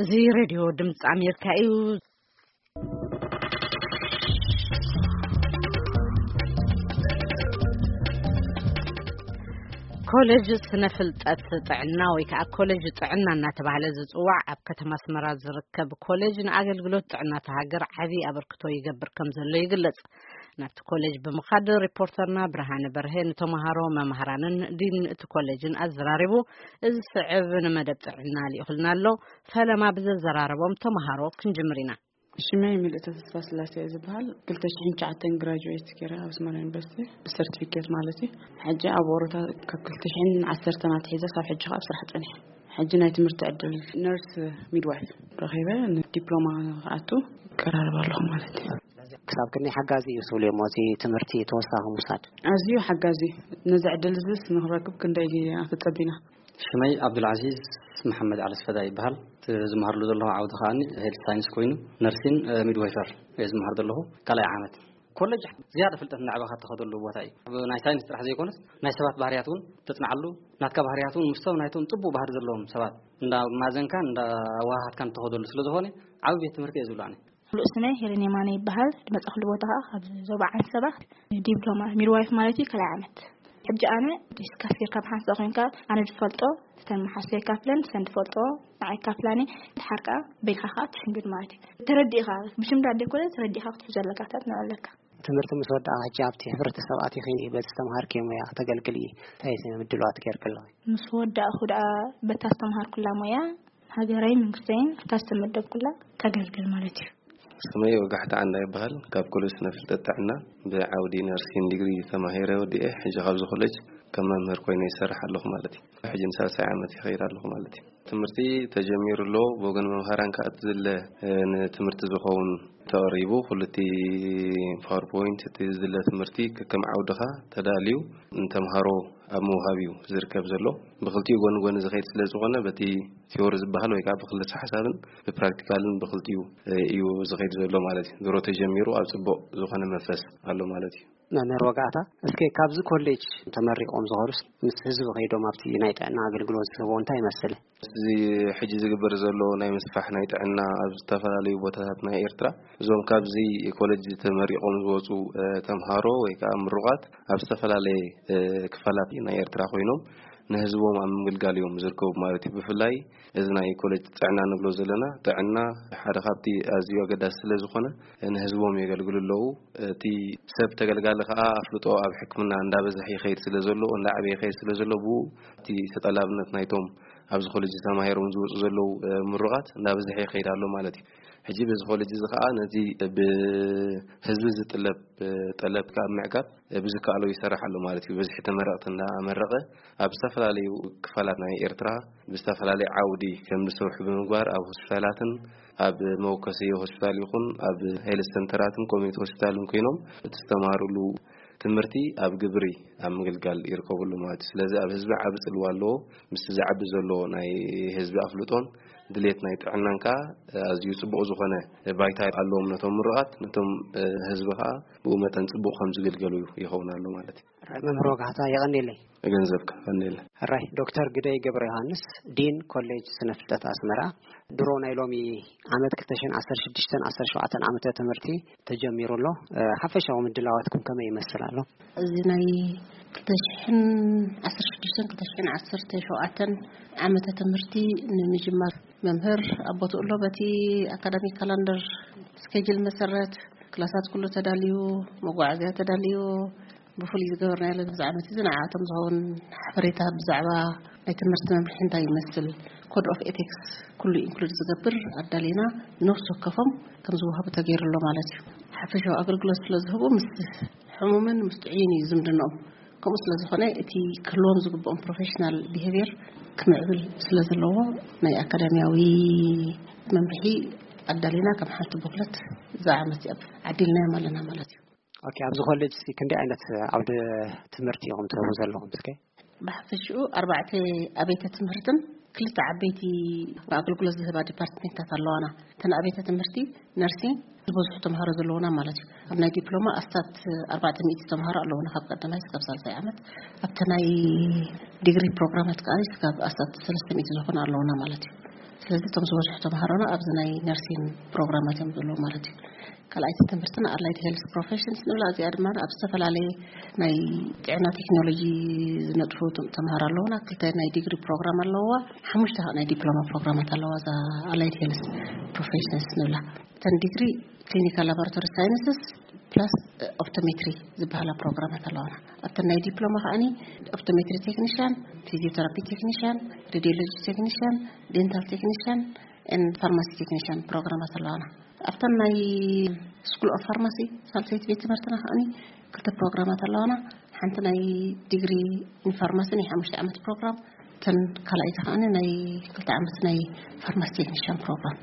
እዚ ሬድዮ ድምፂ ኣሜሪካ እዩ። ኮሌጅ ስነ ፍልጠት ጥዕና ወይ ከዓ ኮሌጅ ጥዕና እናተባህለ ዝፅዋዕ ኣብ ከተማ ኣስመራ ዝርከብ ኮሌጅ ንኣገልግሎት ጥዕና እታ ሃገር ዓብዪ ኣበርክቶ ይገብር ከም ዘሎ ይግለጽ። ናብቲ ኮሌጅ ብምኻድ ሪፖርተርና ብርሃነ በርሄ ንተምሃሮ፣ መምሃራንን ዲን እቲ ኮሌጅን ኣዘራሪቡ። እዚ ስዕብ ንመደብ ጥዕና ልኢኹልና ኣሎ። ፈለማ ብዘዘራረቦም ተምሃሮ ክንጅምር ኢና። ሽመይ ምልእተ ተስፋ ስላሴ እየ ዝበሃል። ክልተ ሽሕን ትሽዓተን ግራጁዌት ገይረ ኣብ ኣስመራ ዩኒቨርሲቲ ብሰርቲፊኬት ማለት እዩ። ሕጂ ኣብ ወሮታ ካብ ክልተ ሽሕን ዓሰርተን ኣትሒዘ ሳብ ሕጂ ከኣ ኣብ ስራሕ ጸኒሐ። ሕጂ ናይ ትምህርቲ ዕድል ነርስ ሚድዋይፍ ረኺበ ንዲፕሎማ ክኣቱ ቀራርብ ኣለኹ ማለት እዩ። ክሳብ ክንደይ ሓጋዚ እዩ ትብሉ እሞ እዚ ትምህርቲ ተወሳኺ ምውሳድ? ኣዝዩ ሓጋዚ እዩ። ነዚ ዕድል እዚስ ንክረክብ ክንደይ ኣፈጸቢና። ሽመይ ዓብዱልዓዚዝ መሓመድ ዓለስፈዳ ይበሃል። እቲ ዝመሃርሉ ዘለኹ ዓውዲ ከኣኒ ሄልት ሳይንስ ኮይኑ ነርሲን ሚድዋይፈር እየ ዝመሃር ዘለኹ ካልኣይ ዓመት። ኮሌጅ ዝያዳ ፍልጠት እናዕበኻ እትኸደሉ ቦታ እዩ። ኣብ ናይ ሳይንስ ጥራሕ ዘይኮነስ ናይ ሰባት ባህርያት እውን ተጽንዓሉ፣ ናትካ ባህርያት እውን ምስ ሰብ ናይቶም ጽቡቕ ባህሪ ዘለዎም ሰባት እንዳ ማዘንካን እንዳ ኣወሃሃድካን እትኸደሉ ስለ ዝኾነ ዓቢ ቤት ትምህርቲ እየ ዝብሎ ኣነ። ሙሉእ ስመይ ሄለን የማነ ይበሃል። ዝመጻኹሉ ቦታ ኸዓ ካብ ዞባ ዓንሰባ ዲፕሎማ ሚድዋይፍ ማለት እዩ ካልኣይ ዓመት። ሕጂ ኣነ ዲስካስ ጌርካ ብሓንሳእ ኮይንካ ኣነ ዝፈልጦ እተን መሓዝተይ ይካፍለን፣ እተን ዝፈልጦ ንዓይ ይካፍላኒ። ድሓር ከኣ በይንኻ ከኣ ትሽምድድ ማለት እዩ። ተረዲእኻ ብሽምዳድ ዘይኮነ ተረዲእኻ ክትሕዞ ኣለካ፣ ክትዕጥኖ ኣለካ። ትምህርቲ ምስ ወዳእኻ ሕጂ ኣብቲ ሕብረተሰብ ኣቲኺ በቲ ዝተምሃርክዮ ሞያ ከተገልግሊ እንታይ ምድላዋት ጌርኪ ኣለኺ? ምስ ወዳእኹ ደኣ በታ ዝተምሃርኩላ ሞያ ሃገረይ መንግስተይን ኣብታ ዝተመደብኩላ ከገልግል ማለት እዩ። ስመይ ወጋሕታ ዓንዳ ይበሃል። ካብ ኮሌጅ ስነ ፍልጠት ጥዕና ብዓውዲ ነርሲን ዲግሪ ተማሂረ ወዲኤ ሕጂ ካብዚ ኮሌጅ ከም መምህር ኮይነ ይሰርሕ ኣለኹ ማለት እዩ። ሕጂ ንሳልሳይ ዓመት ይኸይድ ኣለኹ ማለት እዩ። ትምህርቲ ተጀሚሩ ኣሎ። ብወገን መምሃራን ከኣ እቲ ዝለ ንትምህርቲ ዝኸውን ተቐሪቡ። ኩሉ እቲ ፓወርፖይንት እቲ ዝለ ትምህርቲ ከከም ዓውድኻ ተዳልዩ ንተምሃሮ ኣብ ምውሃብ እዩ ዝርከብ ዘሎ። ብክልቲኡ ጎኒ ጎኒ ዝኸይድ ስለ ዝኾነ በቲ ቲዮሪ ዝበሃል ወይ ከዓ ብክልተ ሓሳብን ብፕራክቲካልን ብክልቲኡ እዩ ዝኸይድ ዘሎ ማለት እዩ። ድሮ ተጀሚሩ ኣብ ጽቡቕ ዝኾነ መንፈስ ኣሎ ማለት እዩ። መምህር ወጋእታ፣ እስከ ካብዚ ኮሌጅ ተመሪቖም ዝኸዱስ ምስ ህዝቢ ከይዶም ኣብቲ ናይ ጥዕና ኣገልግሎት ዝህቦ እንታይ ይመስል? እዚ ሕጂ ዝግበር ዘሎ ናይ ምስፋሕ ናይ ጥዕና ኣብ ዝተፈላለዩ ቦታታት ናይ ኤርትራ እዞም ካብዚ ኮሌጅ ተመሪቖም ዝወፁ ተምሃሮ ወይ ከዓ ምሩቓት ኣብ ዝተፈላለየ ክፋላት ናይ ኤርትራ ኮይኖም ንህዝቦም ኣብ ምግልጋል እዮም ዝርከቡ ማለት እዩ። ብፍላይ እዚ ናይ ኮሌጅ ጥዕና ንብሎ ዘለና ጥዕና ሓደ ካብቲ ኣዝዩ ኣገዳሲ ስለ ዝኾነ ንህዝቦም የገልግሉ ኣለዉ። እቲ ሰብ ተገልጋሊ ከዓ ኣፍልጦ ኣብ ሕክምና እንዳበዝሐ ይኸይድ ስለ ዘሎ እንዳዓበየ ይኸይድ ስለ ዘሎ ብኡ እቲ ተጠላብነት ናይቶም ኣብዚ ኮሌጅ ተማሂሮም ዝወፁ ዘለዉ ምሩቓት እንዳበዝሐ ይኸይድ ኣሎ ማለት እዩ። ሕጂ በዚ ኮሌጅ እዚ ከዓ ነዚ ብህዝቢ ዝጥለብ ጠለብ ካብ ምዕጋብ ብዝከኣሎ ይሰርሕ ኣሎ ማለት እዩ። ብዝሒ ተመረቕቲ እንዳመረቐ ኣብ ዝተፈላለዩ ክፋላት ናይ ኤርትራ ብዝተፈላለየ ዓውዲ ከም ዝሰርሑ ብምግባር ኣብ ሆስፒታላትን ኣብ መወከሲ ሆስፒታል ይኹን ኣብ ሄልት ሰንተራትን ኮሚኒቲ ሆስፒታልን ኮይኖም እቲ ዝተማሃሩሉ ትምህርቲ ኣብ ግብሪ ኣብ ምግልጋል ይርከብሉ ማለት እዩ። ስለዚ ኣብ ህዝቢ ዓቢ ጽልዋ ኣለዎ። ምስቲ ዝዓቢ ዘሎ ናይ ህዝቢ ኣፍልጦን ድሌት ናይ ጥዕናን ከዓ ኣዝዩ ጽቡቕ ዝኾነ ባይታ ኣለዎም ነቶም ምሩቓት፣ ነቶም ህዝቢ ከዓ ብኡ መጠን ጽቡቕ ከም ዝግልገሉ ይኸውን ኣሎ ማለት እዩ። መምህር ወጋሕታ የቐንየለይ። ገንዘብካ ቀንየለ። ሕራይ ዶክተር ግደይ ገብረ ዮሃንስ ዲን ኮሌጅ ስነ ፍልጠት ኣስመራ፣ ድሮ ናይ ሎሚ ዓመት ክልተ ሽሕን ዓሰርተ ሽዱሽተን ዓሰርተ ሸውዓተን ዓመተ ትምህርቲ ተጀሚሩ ኣሎ። ሓፈሻዊ ምድላዋትኩም ከመይ ይመስል ኣሎ? እዚ ናይ ክልተ ሽሕን ዓሰርተ ሽዱሽተን ክልተ ሽሕን ዓሰርተ ሸውዓተን ዓመተ ትምህርቲ ንምጅማር መምህር ኣብ ቦትኡ ኣሎ። በቲ ኣካዳሚክ ካላንደር ስኬጅል መሰረት ክላሳት ኩሉ ተዳልዩ፣ መጓዓዝያ ተዳልዩ፣ ብፍሉይ ዝገበርናዮ ኣብዚ ዓመት እዚ ንዓኣቶም ዝኸውን ሓበሬታ ብዛዕባ ናይ ትምህርቲ መምርሒ እንታይ ይመስል፣ ኮድ ኦፍ ኤቲክስ ኩሉ ኢንክሉድ ዝገብር ኣዳሊና ነፍሲ ወከፎም ከም ዝወሃቡ ተገይሩ ኣሎ ማለት እዩ። ሓፈሻዊ ኣገልግሎት ስለ ዝህቡ ምስ ሕሙምን ምስ ጥዑይን እዩ ዝምድንኦም። ከምኡ ስለ ዝኾነ እቲ ክህልዎም ዝግብኦም ፕሮፌሽናል ቢሄቪየር ክምዕብል ስለ ዘለዎ ናይ ኣካዳሚያዊ መምርሒ ኣዳሊና ከም ሓንቲ ቦክለት እዛ ዓመት እዚኣ ዓዲልናዮም ኣለና ማለት እዩ። ኦኬ፣ ኣብዚ ኮሌጅ እዚ ክንደይ ዓይነት ዓውደ ትምህርቲ ኢኹም ትህቡ ዘለኹም እስከ? ብሓፈሽኡ ኣርባዕተ ኣብያተ ትምህርትን ክልተ ዓበይቲ ኣገልግሎት ዝህባ ዲፓርትሜንታት ኣለዋና። እተን ኣብያተ ትምህርቲ ነርሲንግ ዝበዝሑ ተምሃሮ ዘለዉና ማለት እዩ። ኣብ ናይ ዲፕሎማ ኣስታት ኣርባዕተ ሚእቲ ተምሃሮ ኣለዉና ካብ ቀዳማይ ክሳብ ሳልሳይ ዓመት። ኣብቲ ናይ ዲግሪ ፕሮግራማት ከዓ ክሳብ ኣስታት ሰለስተ ሚእቲ ዝኾኑ ኣለዉና ማለት እዩ። ስለዚ እቶም ዝበዝሑ ተምሃሮና ኣብዚ ናይ ነርሲን ፕሮግራማት እዮም ዘለዉ ማለት እዩ። ካልኣይቲ ትምህርትና ኣላይድ ሄልስ ፕሮፌሽንስ ንብላ። እዚኣ ድማ ኣብ ዝተፈላለየ ናይ ጥዕና ቴክኖሎጂ ዝነጥፉ ተምሃሮ ኣለዉና። ክልተ ናይ ዲግሪ ፕሮግራም ኣለዋ፣ ሓሙሽተ ናይ ዲፕሎማ ፕሮግራማት ኣለዋ እዛ ኣላይድ ሄልስ ፕሮፌሽንስ ንብላ። እተን ዲግሪ ክሊኒካል ላቦራቶሪ ሳይንስስ ፕላስ ኦፕቶሜትሪ ዝበሃላ ፕሮግራማት ኣለዋና። ኣብተን ናይ ዲፕሎማ ከዓኒ ኦፕቶሜትሪ ቴክኒሽያን፣ ፊዚዮቴራፒ ቴክኒሽያን፣ ሬዲዮሎጂ ቴክኒሽያን፣ ዴንታል ቴክኒሽያን፣ ፋርማሲ ቴክኒሽያን ፕሮግራማት ኣለዋና። ኣብተን ናይ ስኩል ኦፍ ፋርማሲ ሳልሰይቲ ቤት ትምህርትና ከዓኒ ክልተ ፕሮግራማት ኣለዋና። ሓንቲ ናይ ዲግሪ ኢንፋርማሲ ናይ ሓሙሽተ ዓመት ፕሮግራም፣ እተን ካልኣይቲ ከዓኒ ናይ ክልተ ዓመት ናይ ፋርማሲ ቴክኒሽያን ፕሮግራም።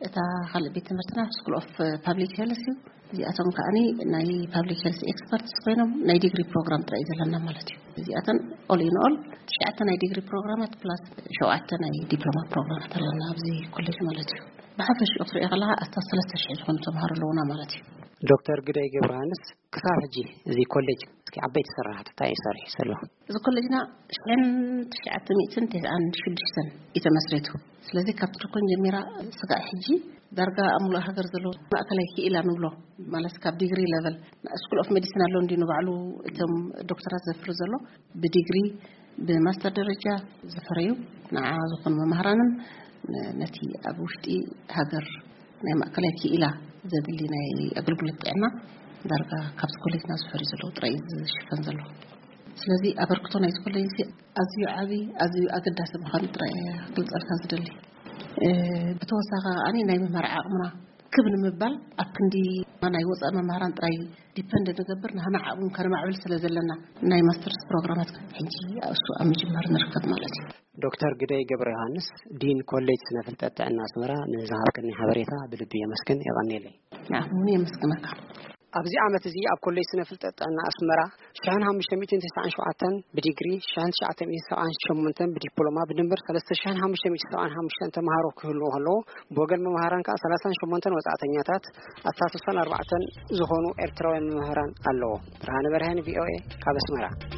እታ ካልእ ቤት ትምህርትና ስኩል ኦፍ ፓብሊክ ሄልስ እዩ። እዚኣቶም ከዓኒ ናይ ፓብሊክ ሄልስ ኤክስፐርትስ ኮይኖም ናይ ዲግሪ ፕሮግራም ጥራይ እዩ ዘለና ማለት እዩ። እዚኣተን ኦል ኢን ኦል ትሽዓተ ናይ ዲግሪ ፕሮግራማት ፕላስ ሸውዓተ ናይ ዲፕሎማ ፕሮግራማት ኣለና ኣብዚ ኮሌጅ ማለት እዩ። ብሓፈሽኡ ክትሪኦ ከለካ ኣስታት ሰለስተ ሽሕ ዝኾኑ ተምሃሮ ኣለዉና ማለት እዩ። ዶክተር ግደይ ገብረሃንስ፣ ክሳብ ሕጂ እዚ ኮሌጅ እስኪ ዓበይቲ ስራሕቲ እንታይ እዩ ሰሪሑ ዘሎ? እዚ ኮሌጅና ሽሕን ትሽዓተ ሚእትን ተስዓን ሽዱሽተን እዩ ተመስሪቱ። ስለዚ ካብቲ ድኮን ጀሚራ ስጋዕ ሕጂ ዳርጋ ኣብ ሙሉእ ሃገር ዘለዉ ማእከላይ ክኢላ ንብሎ ማለት ካብ ዲግሪ ሌቨል ስኩል ኦፍ ሜዲሲን ኣሎ እንዲ ንባዕሉ እቶም ዶክተራት ዘፍሪ ዘሎ ብዲግሪ ብማስተር ደረጃ ዝፈረዩ ንዓ ዝኾኑ መምህራንን ነቲ ኣብ ውሽጢ ሃገር ናይ ማእከላይ ክኢላ ዘድሊ ናይ ኣገልግሎት ጥዕና ዳርጋ ካብቲ ኮሌጅና ዝፈርዩ ዘለዉ ጥራይ እዩ ዝሽፈን ዘሎ። ስለዚ ኣበርክቶ ናይቲ ኮሌጅ እዚ ኣዝዩ ዓቢ፣ ኣዝዩ ኣገዳሲ ምዃኑ ጥራይ እየ ክገልጸልካ ዝደሊ። እ፣ ብተወሳኺ ከኣ ናይ ምምሃር ዓቕምና ክብ ንምባል ኣብ ክንዲ ናይ ወጻኢ መምህራን ጥራይ ዲፐንድ ንገብር፣ ንህና ዓቕሙ ከነማዕብል ስለ ዘለና ናይ ማስተርስ ፕሮግራማት ሕጂ እሱ ኣብ ምጅማር ንርከብ ማለት እዩ። ዶክተር ግደይ ገብረ ዮሃንስ፣ ዲን ኮሌጅ ስነ ፍልጠት ጥዕና ኣስመራ፣ ንዝሃብክኒ ሓበሬታ ብልቢ የመስግን። የቐንየለይ። ንዓኹም እውን የመስግነካ። ኣብዚ ዓመት እዚ ኣብ ኮሌጅ ስነ ፍልጠት ጥዕና ኣስመራ ሽሕን ሓሙሽተ ሚእትን ተስዓን ሸውዓተን ብዲግሪ፣ ሽሕን ትሽዓተ ሚእትን ሰብዓን ሸሞንተን ብዲፕሎማ፣ ብድምር ሰለስተ ሽሕን ሓሙሽተ ሚእትን ሰብዓን ሓሙሽተን ተምሃሮ ክህልዉ ከለዉ፣ ብወገን መምሃራን ከኣ ሰላሳን ሸሞንተን ወጻእተኛታት፣ ኣስታት ስሳን ኣርባዕተን ዝኾኑ ኤርትራውያን መምህራን ኣለዉ። ብርሃነ በርሀን፣ ቪኦኤ፣ ካብ ኣስመራ።